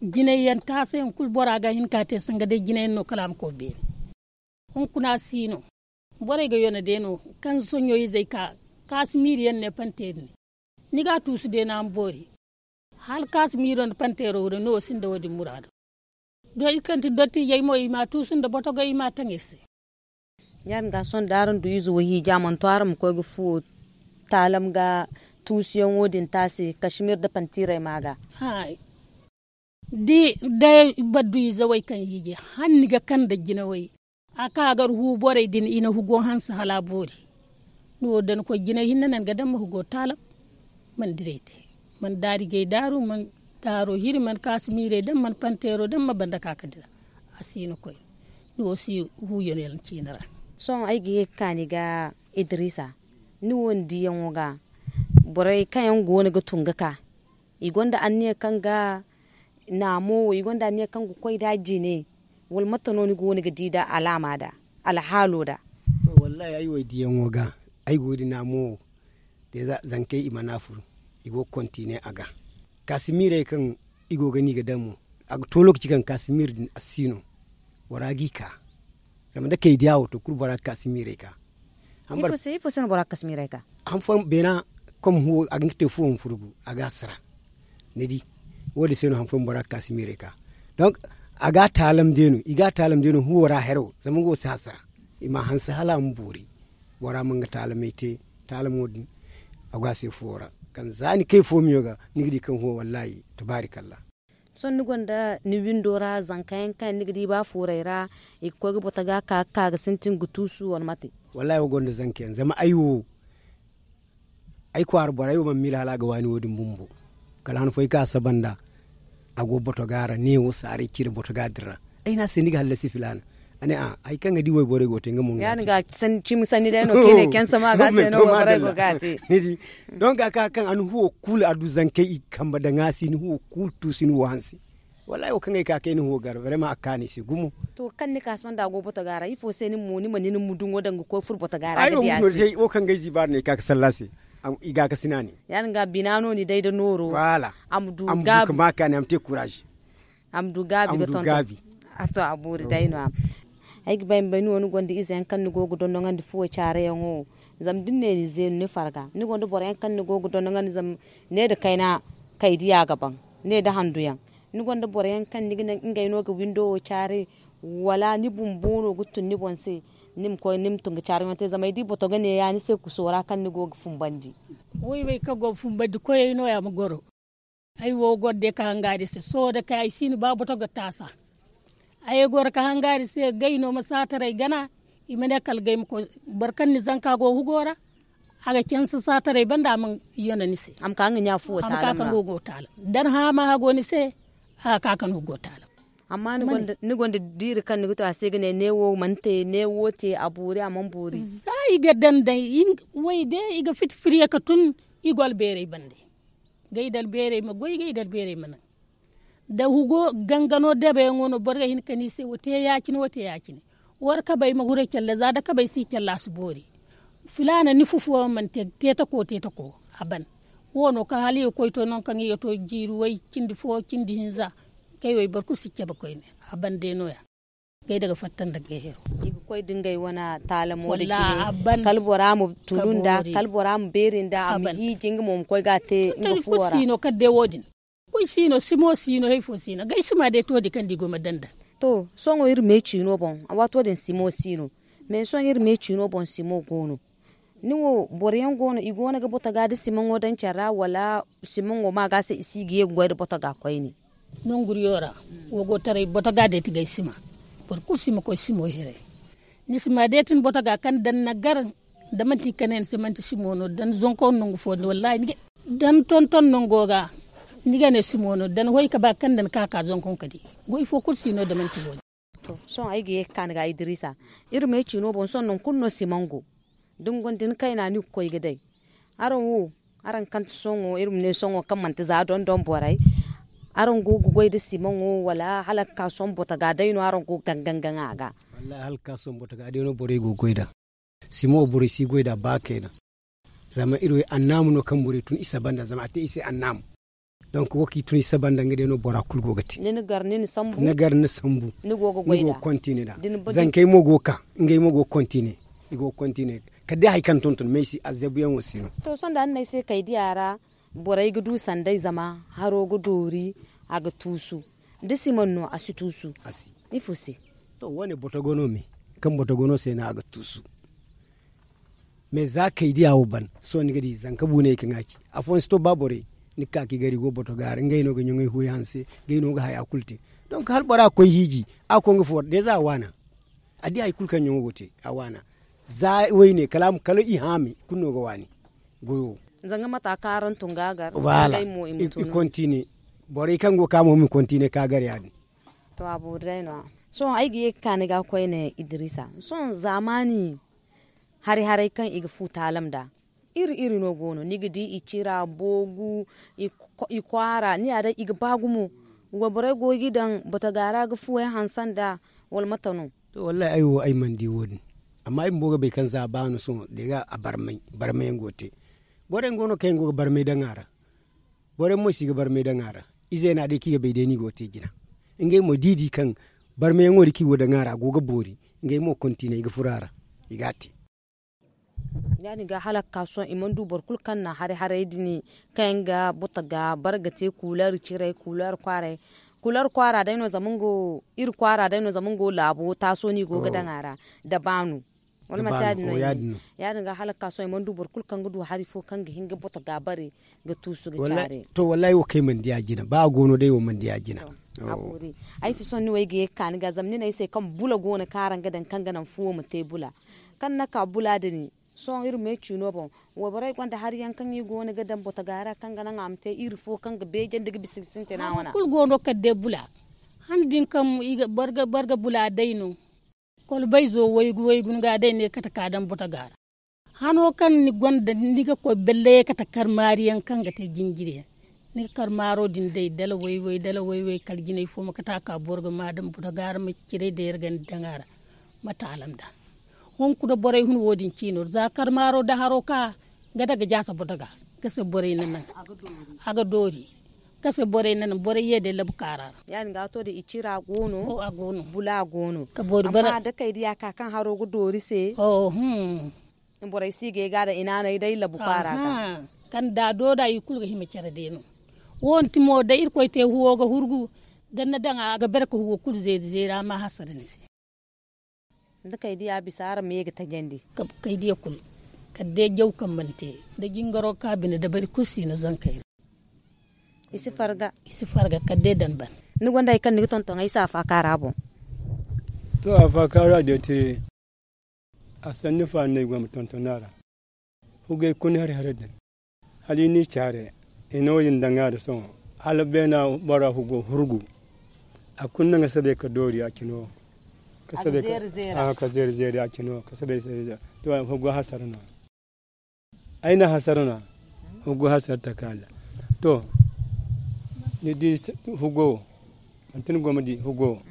jinay yaŋ taasa yaŋ kulu bora ga hin ka te sanga day jinay yaŋ no kala a ma koy beene. Hunkuna si no. Borey ga yone day no kaŋ soɲo izey ka kaasimiiri yaŋ ne panteeri ne. Ni ga a tuusu day no a ma boori. Hala kaasimiiro nda panteero wo day no wo sinda wo- din muraado. Doy kaŋ ti dottijey mo i ma a tuusu nda botogey i ma a taŋ iri se. Ya- din ga sohõ da araŋ du ize wo hiija a mana to araŋ ma koy ga fuwo taalam ga tuusuyaŋo din te a se kasimiir nda pantiirey ma a ga. Da i baddu ize wey kaŋ hiiji hala ni ga kande jinawey a ka gar hu borey din i na hugo hanse hala a boori. Ni wo da ni koy jinay hinne no ni ga daŋ ma hugo taalam. Mana diray te mana daarigay daaru mana daaro hiri mana kaasimiirey daŋ mana panteero daŋ ma banda ka ga dira. A si no koy ni wo si huuyano yaŋ ciine ra. Sohõ ay ga ye ga ka ni ga idiriisa ni wo ni diiyaŋo ga borey kaŋ yaŋ go no ga tun ga ka i gonda anniya kaŋ ga naamo wo i gonda anniya kaŋ ga koy nd'a jine? Wala mate no ni go no ga di nd'a alaama nd'a alhaalo nd'a? Wallaahi ay wo ay diiyaŋo ga ay go ga di naamo wo. Zankey i mana furu i go ga kontine a ga. Kaasimiirey kaŋ i go ga no i ga daŋ mo a ga to lookaci kaŋ kaasimiir din a si no. Bora g'i ka zama da kay diya wo to kulu bora ga kaasimiirey ka. Ifo se no bora ga kaasimiirey ka? Han fooyaŋ beena kom huwo a ga hin ga te fuwo ma furgu a ga a sara. Ni di wo- din se no han fooyaŋ bora ga kaasimiirey ka. Donk a ga a taalam day no i ga a taalam day no huwo ra hero zama nga wo si hasara. I ma a hanse hala a ma boori. Bora ma nga taalamey te taalamo din a go a se fuwo ra. Kaŋ za ni kay foomiyo ga ni ga di kaŋ huwo wallaahi tabaarikalla. Sohõ ni gonda ni windo ra zanka yaŋ kaŋ yaŋ ni ga di ba fuurey ra i ga koy ga boto ga ka ga ka ga sintin ga tuusu wala mate? Wallaahi wo gonda zanka yaŋ zama ay wo ay kwaara borey wo mana miila hala a ga waani wo- din bumbo. Kala han fooyaŋ kaŋ a saba nd'a a go boto ga ra neewo saaray cire boto ga din ra. Ay ne a se ni ga hallasi filaana. A ne a hari kaŋ ga di wayborey go ga te nga mo nga. Cimi sanni day no kaŋ i ne kensama ga se no wayborey go ga te. Ni di? Donk a ka kaŋ a na huwo kulu a du zankey i ga kamba daŋ a se ni huwo kulu tuusu ni huwo hanse. Wallaahi wo kaŋ ay ka kay ni huwo gar barema a kaanu i se gumo. To kaŋ ni ka sohõ nda a go botoga ra ifo se ni ma ni ma ni ni ma duŋo daŋ ga koy furo botoga ra ga di a se? Wo kaŋ ga ay ziibaari no ay ka ga salla a se. I ga a ga sina ne. Ya- din ga bina no ni day nda nooro. A ma du ga ma kaani a ma te kuraazi. A ma du gaabi ga tonton. A to a boori day no- ya. Ay ga bay ma bay ni wo ni gonda ize yaŋ kaŋ ni go ga dondoŋandi fuwo caare yaŋo. Zama da ni ne ni zeenu ni farga ni gonda boro yaŋ kaŋ ni go ga dondoŋandi zama ne nda kayna kay diya ga ban ne nda handu yaŋ. Ni gonda boro yaŋ kaŋ ni ga naŋ ngey no ga windo wo caare wala ni bumbo no ga tun ni boŋ se? Ni ma koy ni ma tun ga caare yaŋo te zama ay di boto ga ne ya ni se kuso ra kaŋ ni go ga fumbandi. Way way kaŋ go ga fumbandi koyey no- ya ma goro. Ay wo goro day ka hangaari se sohõ day kay ay si no ba boto ga taasa. Ay goro ka hangaari se gay no ma saataray gana. I ma ne kala gay ma koy boro kaŋ ni zanka go hugo ra. A ga canse saataray banda a mana yana ni se. A ma ka kaŋ go ga taala. Da ni haama hago ni se. A ga ka kaŋ go ga taala. Amma ni gonda diiri kaŋ ni ga to a se ga ne ne wo mana te ne wo te a boori a mana boori. Za i ga daŋ day way day i ga fiti firiye ka tun. I go albeeray bande. Gay da albeeray ma goy gay da albeeray ma naŋ. Da hugo gangano dabeyaŋo no boro ga hin ka ne i se wo te ya- cine wo te ya- cine. War kabay ma huray calla za da kabay si calla a si boori. Filaana ni fufuwa mana te teetako teetako. A ban wo no kaŋ hala i ga koy to nangu kaŋ i ga to jiiri way cindi fo cindi hinza. Kay way boro kulu si cabe koyne. A ban day no- ya. Gay daga fatta nda gay hero. I ga koy da ngey wane taalamo da jine. Kala bora ma tunu nda kala bora ma beeri nda a ma hiiji nga mo ma koy ga a te nga fuwo ra. Kala day wo- din. Koy si no simo si no hari fo si no gay sima day to din kaŋ da i go ma daŋ daŋ. To sohõ iri me ciino boŋ a waato din simo si no. Mais sohõ iri me ciino boŋ simo go no. Ni wo boro yaŋ go no i go no ga boto ga da simaŋo daŋ care ra wala simaŋo ma ga se i si ga ye ga goy nda boto ga koyne. Nanguriyo ra wo go taray boto ga day ti gay sima. Boro kulu si ma koy simo hiray. Ni si ma day ti ni boto ga kaŋ daŋ ni gar da manti kane ni se manti simo no daŋ zonko nangu fo din wallahi ni ga daŋ tonton nango ga. Ni ga ne simo no daŋ hoy ka ba kaŋ daŋ ka ka zonko ka di. Goy fo kulu si no da manti wo- din. To sohõ ay ga ye ga ka ni ga idrisa. Iri me ciino boŋ sohõ nangu kulu no simaŋ go. Da ni gonda ni kayna ni ga koy ga day. Araŋ wo araŋ kaŋ ti sohõ iri ma ne sohõ kaŋ manti za dondon borey. Araŋ go ga goy nda simaŋo wala hala ga ka sohõ boto ga day no araŋ go ga gaŋ gaŋ a ga? Wallahi hala ga ka sohõ boto ga day no borey go ga goy nd'a. Simo borey si goy nd'a ba kayna. Zama iri wo annaamu no kaŋ borey tun isa banda zama a te i se annaamu. Donk wo kaŋ i tun isa banda nga day no bora kulu go ga te. Ni gar ni sambu ni go ga kontine nd'a. Zankey mo go ga ka ngey mo go ga kontine. I go ga kontine kala day hari kaŋ tonton me ay si azabuyaŋo si no. To sohõ da ni ne ay se kay diya ra borey ga du sanday zama haro ga doori. A ga tuusu da siman no a si tuusu. Ifo se? To wo- ne boto go no me kaŋ boto go no se no a ga tuusu. Mais za kay diya wo ban sohõ ni ga di zanka buuney kaŋ a ci afooyaŋ si to ba borey. Ni ga ka ka i gar i go boto ga a ra ngey no ga ɲaŋey huuya hanse. Ngey no ga haya kulu te. Donk hala bora ga koy hiiji a ga koy nga fuwo ra deeza a waana. A di hari kulu kaŋ ɲaŋo go te a waana. Za wayne kala a ma kala i haami kulu no ga waani. Goyo wo. Zanga mata kaŋ araŋ tun ga a gar. Wala i kontine. Borey kaŋ go ga ka mo ma i kontine ka gar ya- din. To a boori day no- ya. Sohõ ay ga ye ga ka ni ga koyne idrisa sohõ zaamaani hari haray kaŋ i ga fu taalam nd'a. Iri iri no go no ni ga di i cira boogu. I kwaara ni ya day i ga ba gumo. Wayborey go ga i daŋ botoga ra ga fuwey hanse nd'a wala mate no? To wallahi ay wo ay mana di wo- din. Amma ay bumbo ga bay kaŋ za ba no sohõ deega a barmay barmayaŋ go ga te. Borey go no kaŋ yaŋ go ga barmay daŋ a ra. Borey mo si ga barmay daŋ a ra. Ize no a day kaŋ i ga bay day no i go ga te jina. Ngey mo da i di kaŋ barmayaŋo din kaŋ i go ga daŋ a ra a go ga boori. Ngey mo kontinay ga furo a ra. I ga a te. Ya- din ga hala ga ka sohõ i mana du boro kulu kaŋ na hari haray din kaŋ yaŋ ga boto ga bare ga te kuular ciray kuular kwaaray. Kuular kwaara day no zama nga wo iri kwaara day no zama nga wo laabo taaso no i go ga daŋ a ra. Da baanu. Wala manti ya- din no i ne? Ya- din ga hala ga ka sohõ i mana du boro kulu kaŋ ga du hari fo kaŋ ga hin ga boto ga bare ga tuusu ga caare. To wallahi wo kaŋ ay mana di a jina ba a go no day wo mana di a jina. Ay si sohõ ni wo ay ga ye ga ka ni ga zama ni ne ay se kaŋ bula go no kaŋ araŋ ga daŋ kaŋ ga naŋ fuwo ma te bula. Kaŋ ni na ka bula din sohõ iri ma ye ciino boŋ. Wayborey gonda hari yaŋ kaŋ i go no ga daŋ boto ga ra kaŋ ga naŋ a ma te iri fo kaŋ ga beejandi ga bisa ga sintina wane. Hari kulu go no kala day bula. Han din kaŋ boro ga bula day no. Kolbayzo waygu waygu ni ga day ne kate ka daŋ botoga ra. Hano kaŋ ni gonda ni ga koy belle ye kate karmaari yaŋ kaŋ ga te jinjiri yaŋ. Ni ga karmaaro din day dala wayway dala wayway kala jinay fo ma kate a ka boro ga ma daŋ botoga ra ma ciray day yar ganda daŋ a ra. Ma taalam da hunkuna borey hun wo- din ciino za karmaaro da haro ka ga daga jaasa botoga. Ga se borey na naŋ a ga doori. Ga se borey na naŋ borey ye day labu kaara ra. Ya- din ga to da i cira go no bula go no. Amma da kay diya ka kaŋ haro ga doori se. Borey si ga ay ga da i naanay day labu kaara ga. Kaŋ da do da i kulu ga hima care day no. Wo- din ti mo da irkoy te huwo ga hurgu da ni na daŋ a ga bare ka huwo kulu zeeri zeeri a ma hasara ni se. Da kay diya bisa araŋ ma ye ga tajandi. Kay diya kulu kala day jaw kaŋ mana te da jingaro ka bine dabari kulu si no zankey ra. I si farga kala day daŋ ban. Ni gonda hari kaŋ ni ga tonton ay se a faaka ra boŋ. To a faaka ra day te. A sanni faani no ay go ma tonton a ra. Hugay kuna hari hari din hala i n'i care i no- din daŋ a ra sohõ. Hala beena bora hugo hurgu a kulu naŋ a sabay ka doori a cino. Ka zeeri zeeri a cino ka sabay. Hugo hasara no. Ay na hasara no. Hugo hasara taka allah. To ni di hugo wo manti ni go ma di hugo wo.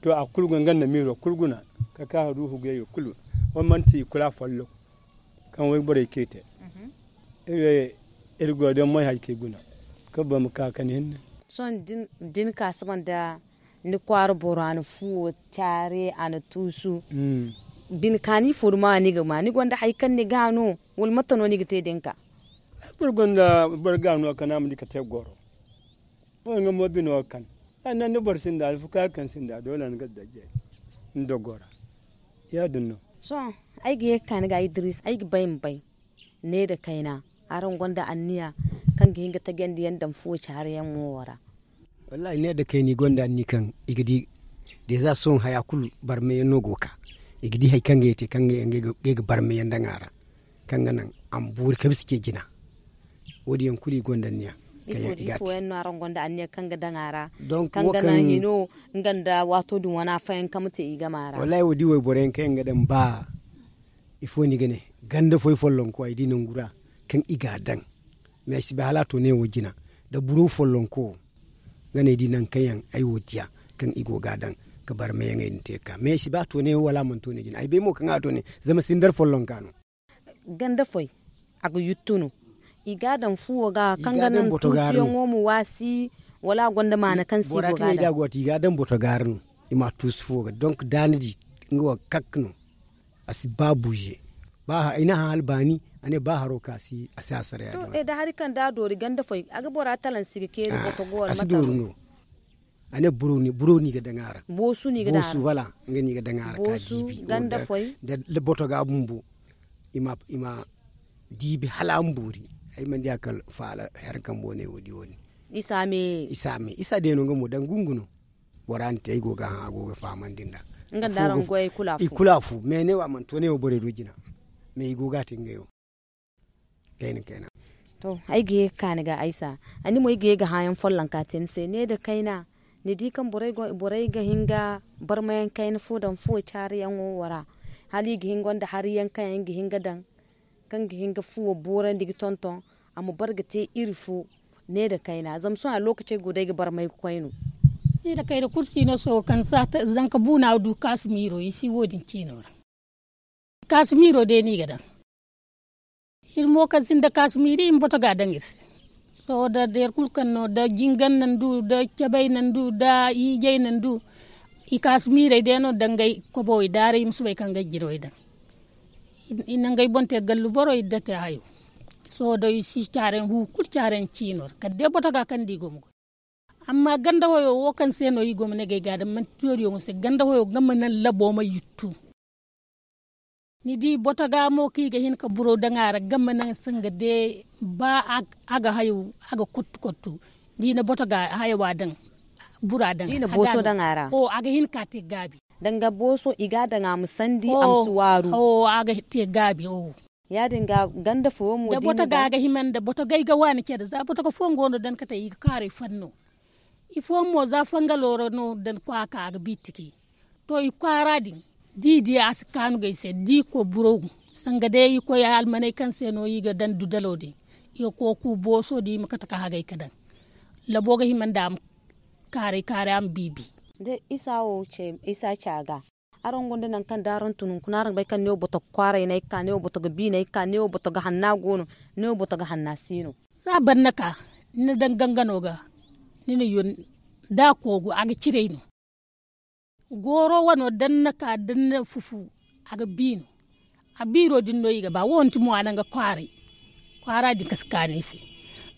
To a kulu go nga nda miiro kulu guna ka ka du hugo yayo kulu. Wo manti i kulu a folloŋ. Kaŋ wayborey kay te iri go day moy hari kaŋ i guna. Kaŋ boro ma ka kani hinne. Sohõ da ni ka saba nda ni kwaara boro a na fuwo care a na tuusu. Bine kaani fo duma ni ga ma ni gonda hari kaŋ ni ga no? Wala mate no ni ga te da ni ka? Boro gonda boro ga no kaŋ a ma di ka te goro. Wo nga mo bino ga kan. Annan da boro sinda alfuka kaŋ sinda doole ni ga dajay ni dogo ra. Ya- din no. Sohõ ay ga ye ga ka ni ga idris ay ga bay ma bay. Ne nda kayna araŋ gonda anniya kaŋ ga hin ga tajandi yaŋ daŋ fuwo caari yaŋ wo ra? Wallahi ne nda kayna i gonda anniya kaŋ i ga di. Deeza sohõ haya kulu barmay yaŋ no go ga ka i ga di hari kaŋ ga ye te kaŋ ga yaŋ ga ay ga barmay yaŋ daŋ a ra. Kaŋ ga naŋ a ma boori kaŋ bisa ce jina. Wo- din yaŋ kulu i gonda anniya. Ifo yaŋ no araŋ gonda anniya kaŋ ga daŋ a ra? Kaŋ ga naŋ hino nga nda waato din wana fayanka ma te i game a ra. Wallahi wo- din wayboro yaŋ kaŋ yaŋ ga daŋ ba ifo no i ga ne ganda foy follonko ay di nangu ra kaŋ i ga a daŋ. Mais ay si bay hala a to ne wo jina da buro follonko wo nga no ay di nangu kaŋ yaŋ ay wo diya kaŋ i go ga a daŋ ka barmayaŋey din te ga ka mais ay si bay a to ne wo wala a mana to ne jina ay bay mo kaŋ a to ne. Zama sindar follonka no. Ganda foy a ga yuttu no i ga a daŋ fuwo ga kaŋ ga naŋ tuusuyaŋo ma waasi? Wala a gonda maana kaŋ se i go ga a daŋ? I ga a daŋ boto ga ra no i ma a tuusu fuwo ga donk da ni di nga wo kak no. A si ba buuze ba i na hã hala baani a ne ba haro kaŋ a si a si a sara ya- din. To da hari kaŋ da a doori ganda foy a ga bora talansi ga keeri boto go wala mate no? A ne buro no i ga daŋ a ra boosu no i ga daŋ a ra boosu wala nga no i ga daŋ a ra ka diibi ganda foy da boto ga bumbo. I ma diibi hala a ma boori. Ay mana diya kala faala hari kaŋ boone wo- din wo- din. Isa me isa me isa day no nga mo daŋ gungu no. Bora na te ay go ga hã a go ga fahamandi nd'a. Nga nda araŋ goyey kulu a fu. I kulu a fu mais ne wo a mana to ne wo borey du jina. Mais i go ga a te ngey wo. Kayna kayna. To ay ga ye ga ka ni ga aysa. Ani mo ay ga ye ga hãyaŋ follonka te ni se ne nda kayna. Ni di kaŋ borey ga hin ga barmayaŋ kayna fo daŋ fuwo caariyaŋo wo ra. Hala i ga hin gonda hariyaŋ kaŋ yaŋ ga hin ga daŋ kaŋ ga hin ga fuwo boorandi ga tonton a ma bare ga te iri fo. Ne nda kayna zama sohõ a lookacey go day ga barmay ga koy no. Ne nda kayna kulu si no sohõ kaŋ saata zanka buuna du kaasimiiro i si wo- din ciino ra. Kaasimiiro day no i ga daŋ. Iri mo kaŋ sinda kaasimiiri i ma boto ga a daŋ iri se. Sohõ da deer kulu kaŋ no da jingan nandu da cabay nandu da hiijay nandu. I kaasimiirey day no dangay kobowey daaray i ma soobay ka ngey jirwey daŋ. I na ngey boŋ te gallu boro i date hayo. Sohõ da i si caarayaŋ hu kulu caarayaŋ ciino ra kala day boto ga kaŋ da i go ma goy. Amma ganda wayo wo kaŋ se no i go ma ne ga ay ga daŋ manti tooriyaŋo se ganda wayo nga ma naŋ labo ma yuttu. Ni di boto ga mo kaŋ i ga hin ka buro daŋ a ra ga ma naŋ sanga de ba a ga hayo a ga kottu kottu. Da i na boto ga hayo a daŋ bura daŋ a ga hin ka te gaabi. Danga booso i ga a daŋ a ma sandi a ma si waaru. A ga te gaabi. Ya- din ga ganda foyo mo da boto ga a ga hima nda boto ga ay ga waani care za boto ga fooyaŋ go no daŋ kate i ga kaaray fanno. Ifooyaŋ mo za fangalo ra no daŋ kwaaka a ga biitiki. To i kwaara din Da i di a si kaanu ga ay se da i koy buro, sanga day i koy almaney kaŋ se no i ga daŋ dudalo din, i ga koy ku booso din i ma kate ka hagay ka daŋ. Labo ga hima nda a ma kaaray kaaray a ma biibi. Da isa wo ce isa ce a ga. Araŋ gonda nangu kaŋ da araŋ tun hunkuna araŋ ga bay kaŋ neewo boto ga kwaaray no ay ga ka neewo boto ga biino ay ga ka neewo boto ga hanna go no. Neewo boto ga hanna si no. Za ban na ka ni na daŋ gangano ga, ni na yun da a koogu a ga ciray no. Gooro wano da ni na ka da ni na fufu, a ga biino. A biiro din no i ga ba wo nti mo a naŋ ga kwaaray. Kwaara din ka si kaanu i se.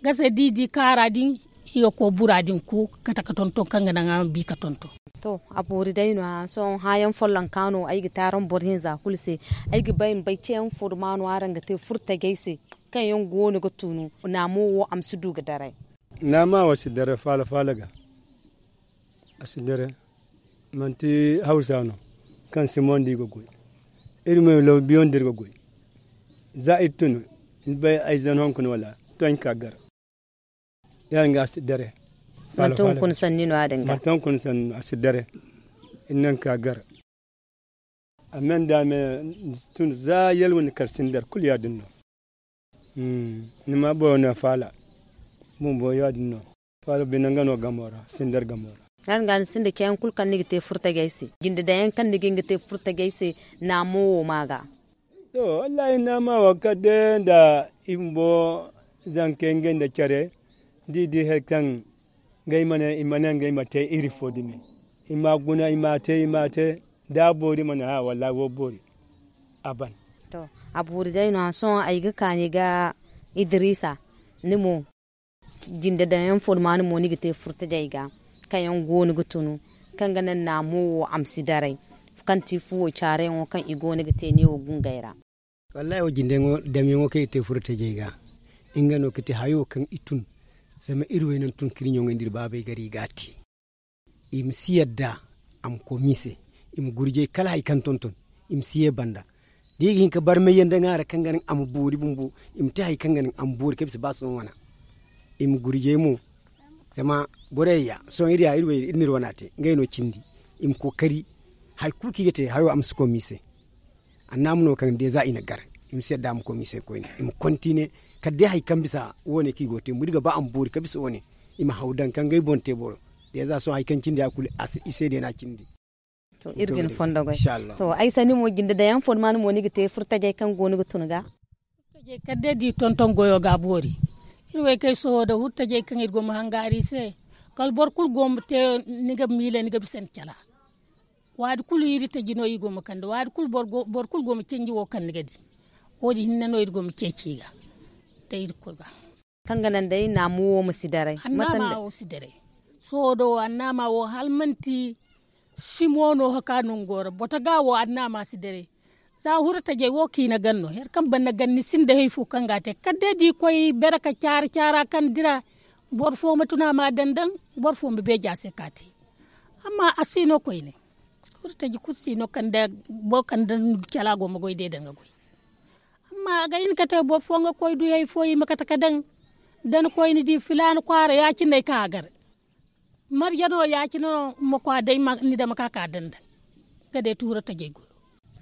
Gase da i di kaara din, i ga koy bura din ku kate ka tonton kaŋ ga naŋ a ma bi ka tonton. To, a boori day no- ya sohõ hãayaŋ follonka no ay ga te araŋ boro hinza kulu se. Ay ga bay ma bay ceeyaŋ fo da ma no araŋ ga te furtajey se, kaŋ yaŋ go no ga tunu naamo wo a ma si du ga daray. Naama wo si dare faala faala ga. A si dare. Manti hawsa no kaŋ simondi ga goy. Iri mo law biyondi iri ga goy. Za iri tun, ni bay ay zan hunkuna wala? To ay na ka gar. Ya- din ga a si dare. Manti hunkuna sanni no ya- din ga manti hunkuna sanni no a si dare. Iri na ni ka gar. A me nda a me tun za yalwa ni kar sindar kulu ya- din no. Ni ma boro no faala. Bumbo ya- din no. Faala bine nga no gamo ra sindar gamo ra. Ya- din ga ni sinda ceeyaŋ kulu kaŋ ni ga te furtajey se jinde daŋ yaŋ kaŋ ni ga hin ga te furtajey se. Naamo wo ma ga. To, wallahi naama wo kala day nda i bumbo, zankey ngey nda care da i di hari kaŋ ngey ma ne i ma ne ngey ma te iri fo dumi. I ma guna i ma te i ma te. Da a boori ma ne ha wallahi wo boori. A ban. To, a boori day no- ya sohõ ay ga kaani ga idrisa. Ni mo jinde daŋ yaŋ fo ni ma ni mo ni ga te furtajey ga kaŋ yaŋ go no ga tunu, kaŋ ga naŋ naamo wo a ma si daray, kaŋ ti fuwo caarayaŋo kaŋ i go no ga te neewo gungey ra. Wallahi wo jinde yaŋo damyaŋo kaŋ i te furtajey ga, nga no ga ti hayo kaŋ i tun. Zama iri waynaŋ tun ka iri ɲaŋey nda iri baabey gar i ga a te. I ma si yadda a ma koy miise. I ma gurjay kala hari kaŋ tonton. I ma si ye banda da i ga hin ka barmay yaŋ daŋ a ra kaŋ ga naŋ a ma boori bumbo. I ma te hari kaŋ ga naŋ a ma boori kaŋ bisa ba sohõ wana. I ma gurjay mo. Zama borey ya sohõ iri ya iri wayna iri na iri wana te ngey no cindi. I ma kookari hari kulu kaŋ i ga te hayo a ma si koy miise. Annaama no kaŋ deeza i na gar. I ma si yadda a ma koy miise koyne i ma kontine. Kala day hari kaŋ bisa wo- ne kaŋ i go ga te bumbo da i ga ba a ma boori kaŋ bisa wo- ne. I ma haw daŋ kaŋ ngey boŋ te boro. Deeza sohõ hari kaŋ cindi ya kulu i se day no a cindi. To iri ga ni fondo goy. To ay sanni mo jinde daŋ yaŋ fo ni ma ni mo ni ga te furtajey kaŋ go ni ga tun ga. Furtajey kala day da i tonton goyo ga a boori. Iri wo ay kay sohõ da furtajey kaŋ iri go ma hangaari i se. Kala boro kulu go ma te ni ga miila ni ga bisa ni cala. Waati kulu iri taji no iri go ma kande waati kulu boro kulu go ma canji wo kaŋ ni ga di. Wo- din hinne no iri go ma ceeci i ga da iri koy ga. Kaŋ ga naŋ day naamu wo ma si daray. Annaama wo si daray. Sohõ do annaama wo hala manti simo no haka nango ra boto ga wo annaama si daray. Za huru tajay wo kaŋ i na gan no hari kaŋ ban na gan ni sinda hari fo kaŋ ga a te kala day da i koy bere ka caara caara kaŋ dira. Boro fo ma tuna ma daŋ daŋ boro fo ma beeja se ka te. Amma a si no koyne. Huru taji kulu si no kaŋ da boro kaŋ da cala go ma goy day daŋ ga goy. Amma a ga hin ka te boro fo nga koy du hari fo i ma kate ka daŋ. Da ni koy ni di filaana kwaara ya- cine ay ka a gar. Marje no ya- cine no ma kwa day ni dama ka ka daŋ daŋ. Nga day tuura tajay goyo.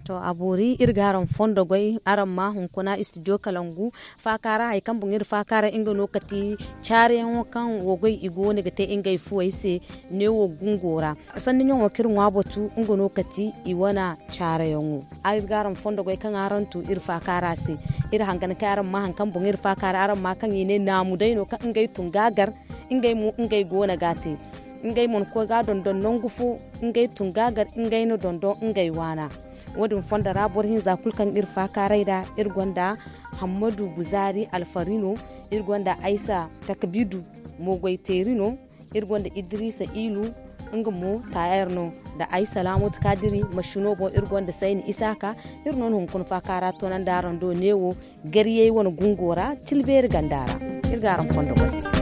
To a boori iri ga araŋ fondo goy araŋ ma hunkuna studio kalangu. Faakaara hari kaŋ boŋ iri faakaara nga no kati caareyaŋo kaŋ wo goy i go no ga te ngey fuwey se. Neewo gungo ra sanni ɲaŋo kaŋ iri ŋwa batu nga no kati i wane caareyaŋo. Iri ga araŋ fondo goy kaŋ araŋ tu iri faakaara se. Iri hangan kay araŋ ma hari kaŋ boŋ iri faakaara araŋ ma kaŋ i ne naamu day no kaŋ ngey tun ga a gar. Ngey mo ngey go no ga a te. Ngey mana koy ga a dondon nangu fo. Ngey tun ga a gar ngey na dondon ngey waana. Wo- din fondo ra boro hinza kulu kaŋ iri faakaaray nd'a iri gonda hammadu guzaari alfari no. Iri gonda aysa takbidu mogoy teeri no. Iri gonda idrisa ilu nga mo tayar no. Nda aysa laamatu kaadiri mashino boŋ iri gonda sayni isaaka. Iri no na hunkuna faakaara toonandi araŋ do neewo gariyey wane gungo ra tilbeeri ganda ra. Iri ga araŋ fondo goy.